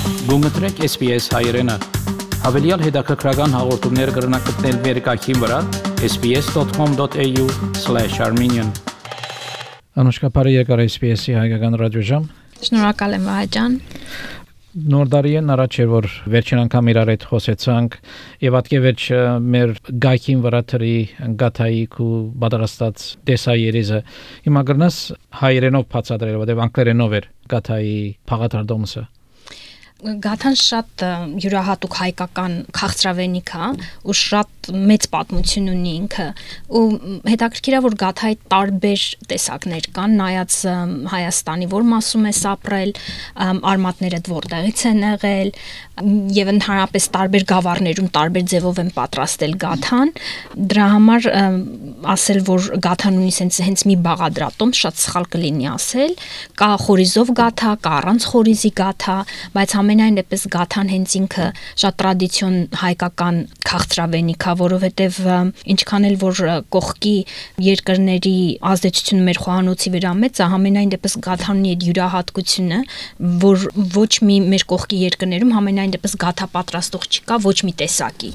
Գումտրեք SPS հայերեն։ Հավելյալ հետաքրքրական հաղորդումներ կգրնակցնել վերկայքին վրա sbs.com.au/armenian Անուշկապարի եկար SPS-ի հայկական ռադիոժամ։ Շնորհակալ եմ Վահաջան։ Նոր տարին առաջ էր որ վերջին անգամ իրար հետ խոսեցանք եւ ատկե վերջ մեր գայքին վրա թրի գաթայի ու բادرաստած դեսայերիզը հիմա գրնաս հայերենով բացատրել որտեղ անգլերենով էր գաթայի փաղաթարդոմսը Գաթան շատ յուրահատուկ հայկական քաղցրավենիք է ու շատ մեծ պատմություն ունի ինքը ու հետաքրքիր է որ գաթայի տարբեր տեսակներ կան նայած Հայաստանի որ մասում է ապրել արմատները որտեղից են եղել եւ ընդհանրապես տարբեր գավառներում տարբեր ձևով են պատրաստել գաթան դրա համար ասել որ գաթան ունի հենց մի բաղադրատոմ շատ սխալ կլինի ասել կա խորիզով գաթա կա առանց խորիզի գաթա բայց ամենայն դեպս գաթան հենց ինքը շատ տրադիցիոն հայկական քաղցրավենիք է որովհետև ինչքան էլ որ կողքի երկրների ազդեցությունը մեր խոհանոցի վրա մեծ է ամենայն դեպս գաթանի այդ յուրահատկությունը որ ոչ մի մեր կողքի երկրներում ամենայն դեպս գաթա պատրաստող չկա ոչ մի տեսակի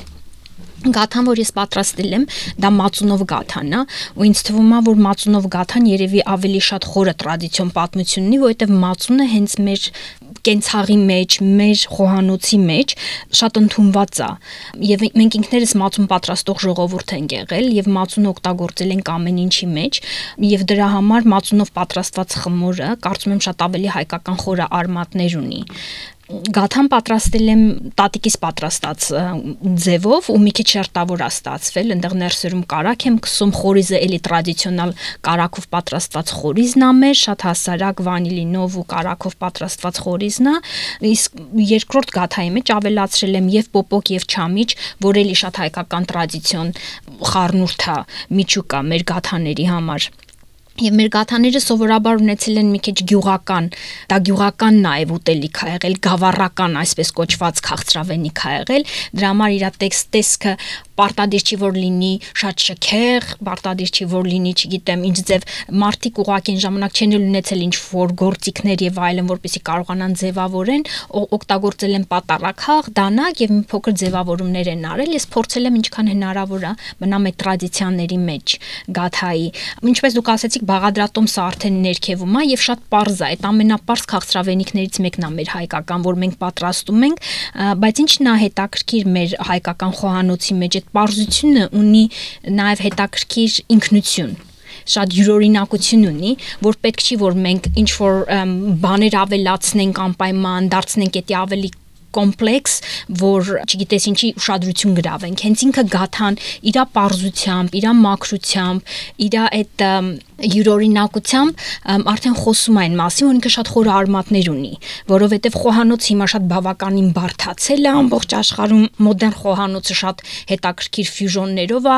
Գաթան որ ես պատրաստել եմ դա մածունով գաթան է ու ինձ թվում է որ մածունով գաթան երևի ավելի շատ խորը տրադիցիոն պատմություն ունի որովհետև մածունը հենց մեր կենցաղի մեջ մեր խոհանոցի մեջ շատ ընդունված է եւ մենք ինքներս մածուն պատրաստող ժողովուրդ ենք եղել եւ մածունը օգտագործել ենք ամեն ինչի մեջ եւ դրա համար մածունով պատրաստված խմորը կարծում եմ շատ ավելի հայկական խորը արմատներ ունի Գաթան պատրաստել եմ տատիկիս պատրաստած ձևով ու մի քիչ շերտավոր է ստացվել այնտեղ ներսերում կարակ եմ կսում խորիզը էլի տրադիցիոնալ կարակով պատրաստված խորիզն է մեր շատ հասարակ վանիլինով ու կարակով պատրաստված խորիզն է իսկ երկրորդ գաթայի մեջ ավելացրել եմ եւ պոպոկ եւ չամիչ որ էլի շատ հայկական տրադիցիոն խառնուրդ է միջուկա մեր գաթաների համար Եվ մեր գաթաները սովորաբար ունեցել են մի քիչ գյուղական, դա գյուղական նաև ուտելիք է եղել, գավառական այսպես կոչված քաղցրավենիք է եղել, դրա համար իր տեսքը պարտադիր չի որ լինի շատ շքեղ, պարտադիր չի որ լինի, չգիտեմ, ինչ ձև մարդիկ ուղղակի այն ժամանակ չեն ունեցել ինչ որ գործիքներ եւ այլն, որպեսզի կարողանան ձևավորեն, օգտագործել են պատարակախ, դանակ եւ մի փոքր ձևավորումներ են արել, ես փորձել եմ ինչքան հնարավոր է մնամ այդ տրադիցիաների մեջ գաթայի, ինչպես դուք ասեցիք բաղադրատոմսը արդեն ներքևում է եւ շատ պարզ է, այդ ամենապարզ քաղցրավենիքներից մեկն է մեր հայկական, որ մենք պատրաստում ենք, բայց ինչն է հետաքրքիր մեր հայկական խոհանոցի մեջ այդ պարզությունը ունի նաեւ հետաքրքիր ինքնություն շատ յուրօրինակություն ունի, որ պետք չի որ մենք ինչ որ բաներ ավելացնենք անպայման, դարձնենք դա ավելի կոմպլեքս, որ չգիտես ինչի ուշադրություն գրավենք, հենց ինքը գաթան իր պարզությամբ, իր մաքրությամբ, իր այդ յուրօրինակությամբ արդեն խոսում այն մասին, որ ինքը շատ խորը արմատներ ունի, որովհետև խոհանոցը հիմա շատ բավականին բարդացել է ամբողջ աշխարհում, մոդեռն խոհանոցը շատ հետաքրքիր ֆյուժոններով է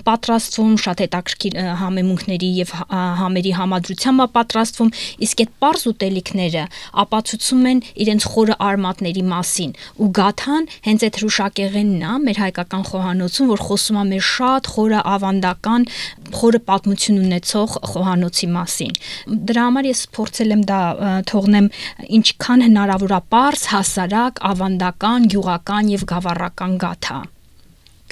պատրաստվում, շատ հետաքրքիր համեմունքների եւ համերի համադրությամբ է պատրաստվում, իսկ այդ պարզ ուտելիքները ապացուցում են իրենց խորը արմատների մասին, ու գաթան հենց այդ հրուշակեղենն է մեր հայկական խոհանոցում, որ խոսում է մեր շատ խորը ավանդական, խորը պատմություն ունեցող խոհանոցի մասին։ Դրա համար ես փորձել եմ դա թողնեմ ինչքան հնարավոր է պարզ, հասարակ, ավանդական, գյուղական եւ գավառական գաթա։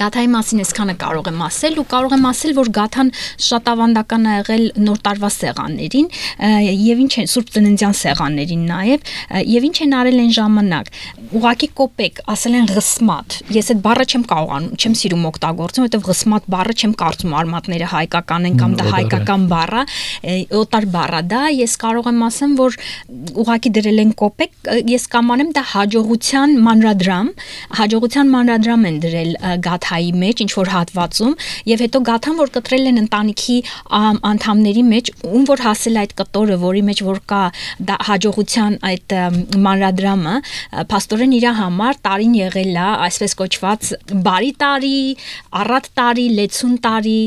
Գաթայի մասին այսքանը կարող եմ ասել ու կարող եմ ասել, որ գաթան շատ ավանդական է եղել նոր տարվա սեղաններին եւ ինչ են Սուրբ Ծննդյան սեղաններին նաեւ եւ ինչ են արել այն ժամանակ։ Ուղղակի կոպեկ, ասել են ղսմատ։ Ես այդ բառը չեմ կարողանում, չեմ սիրում օգտագործել, որովհետեւ ղսմատ բառը չեմ կարծում արմատները հայկական են կամ դա հայկական բառ է, օտար բառ է դա։ Ես կարող եմ ասեմ, որ ուղղակի դրել են կոպեկ, ես կամանեմ դա հաջողության մանրադրամ են դրել գաթայի մեջ ինչ որ հատվածում եւ հետո գաթան որ կտրել են ընտանիքի անդամների մեջ ում որ հասել այդ կտորը որի մեջ որ կա դա հաջողության այդ մանրադրամը փաստորեն իր համար տարին եղել է այսպես կոչված բարի տարի, առատ տարի, լեցուն տարի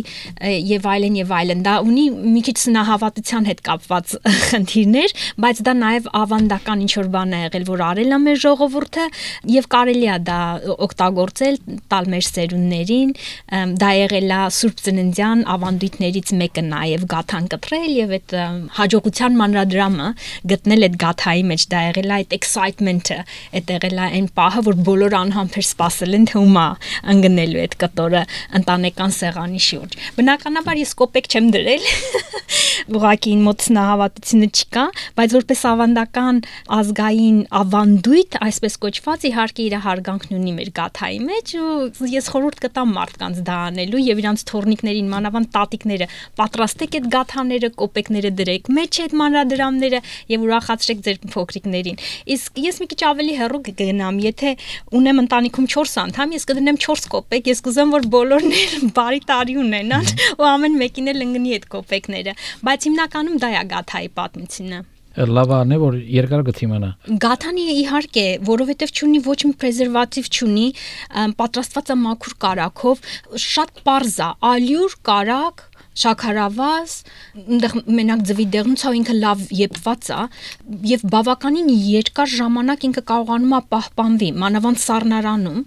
եւ այլն դա ունի մի քիչ սնահավատության հետ կապված խնդիրներ, բայց դա նաեւ ավանդական ինչ որ բան է եղել որ արել է մեր ժողովուրդը եւ կարելի է դա օգտագործել տալ մեր ծերուններին, դա եղել է Սուրբ Ծննդյան ավանդույթներից մեկը նաև գաթան կտրել եւ այդ հաջողության մանրադրամը գտնել այդ գաթայի մեջ, դա եղել է այդ excitement-ը, այդ եղել է այն պահը, որ բոլոր անհամբեր սպասել են թե ումա ընկնելու այդ կտորը ընտանեկան սեղանի շուրջ։ Բնականաբար ես կոպեկ չեմ դրել, ուղղակի մոտ նահավատությունը չկա, բայց որպես ավանդական ազգային ավանդույթ, այսպես կոչված, իհարկե իր հարգանքն ունի մեր գաթայի մեջ, ու ես խորհուրդ կտամ մարդկանց դա անելու եւ իրանց թորնիկներին, մանավանդ տատիկները, պատրաստեք այդ գաթաները, կոպեկները դրեք մեջ այդ մանրադրամները եւ ուրախացրեք ձեր փոքրիկներին։ Իսկ ես մի քիչ ավելի հեռու կգնամ, եթե ունեմ ընտանիքում 4 անդամ, ես կդնեմ 4 կոպեկ, ես կուզեմ, որ բոլորն բարի տարի ունենան ու ամեն մեկին էլ ընկնի այդ կոպեկները, բայց հիմնականում դա է գաթայի պատմությունը։ Լավն է, որ երկար գտի մնա։ Գաթանի իհարկե, որովհետև չունի ոչ մի պրեզերվատիվ չունի, պատրաստված է մաքուր կարագով, շատ պարզ է, ալյուր, կարագ, շաքարավազ, այնտեղ մենակ ձվի դեղնուցա ինքը լավ եպված է եւ բավականին երկար ժամանակ ինքը կարողանում է պահպանվի, մանավանդ սառնարանում,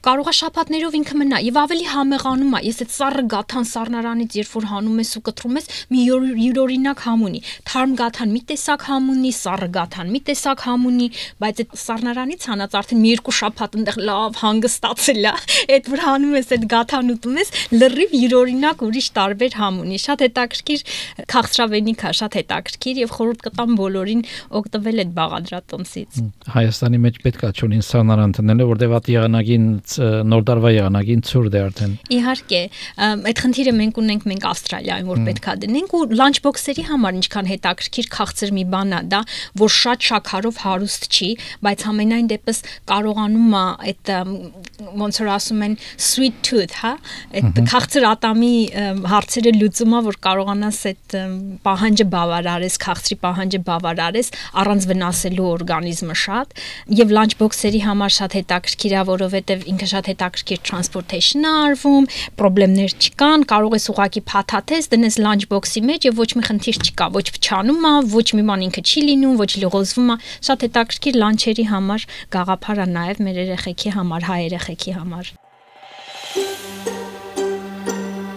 կարող է շաբաթներով ինքը մնա եւ ավելի համեղանում է։ Ես այդ սառը գաթան սառնարանից երբ որ հանում ես ու կտրում ես, մի յուրօրինակ համ ունի։ Թարմ գաթան մի տեսակ համ ունի, սառը գաթան մի տեսակ համ ունի, բայց այդ սառնարանից հանած արդեն մի երկու շաբաթ այնտեղ լավ հանգստացել է։ Այդ որ հանում ես այդ գաթան ուտում ես, լրիվ յուրօրինակ ուրիշ տարբեր համ ունի, շատ հետաքրքիր քաղցրավենիք է, շատ հետաքրքիր եւ խորհուրդ կտամ բոլորին օգտվել այդ բաղադրատոմսից։ Հայաստանի մեջ պետք է ճունին սառնարան տնելը, որտեղ այդ եղանակին նոր տարվա եղանակին ցուրտ է արդեն։ Իհարկե, այդ խնդիրը մենք ունենք մենք Ավստրալիայում, որ պետք է դնենք ու լանչ բոքսերի համար ինչքան հետաքրքիր քաղցր մի բան է դա, որ շատ շաքարով հարուստ չի, բայց համենայն դեպս կարողանում է այդ ոնց որ ասում են sweet tooth, հա, այդ քաղցր ատամի հարցերը լուծումա, որ կարողանաս այդ պահանջը բավարարես, քաղցրի պահանջը բավարարես, առանց վնասելու օրգանիզմը շատ, եւ լանչ բոքսերի համար շատ հետաքրքիր է, որովհետեւ ինքը շատ հետաքրքիր transportation-ը արվում, խնդիրներ չկան, կարող ես ուղակի փաթաթես, դնես լանչ բոքսի մեջ եւ ոչ մի խնդիր չկա, ոչ փչանում է, ոչ մի բան ինքը չի լինում, ոչ լողոզվում է, շատ հետաքրքիր լանչերի համար գաղափար է նաեւ մեր երեխեքի համար, հայ երեխեքի համար։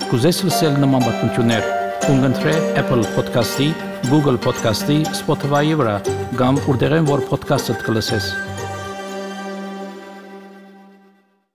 Կուզես լսել նման պատմություններ, կընտրե Apple Podcast-ի, Google Podcast-ի, Spotify-ի վրա, կամ որտեղեն որ podcast-ը կլսես։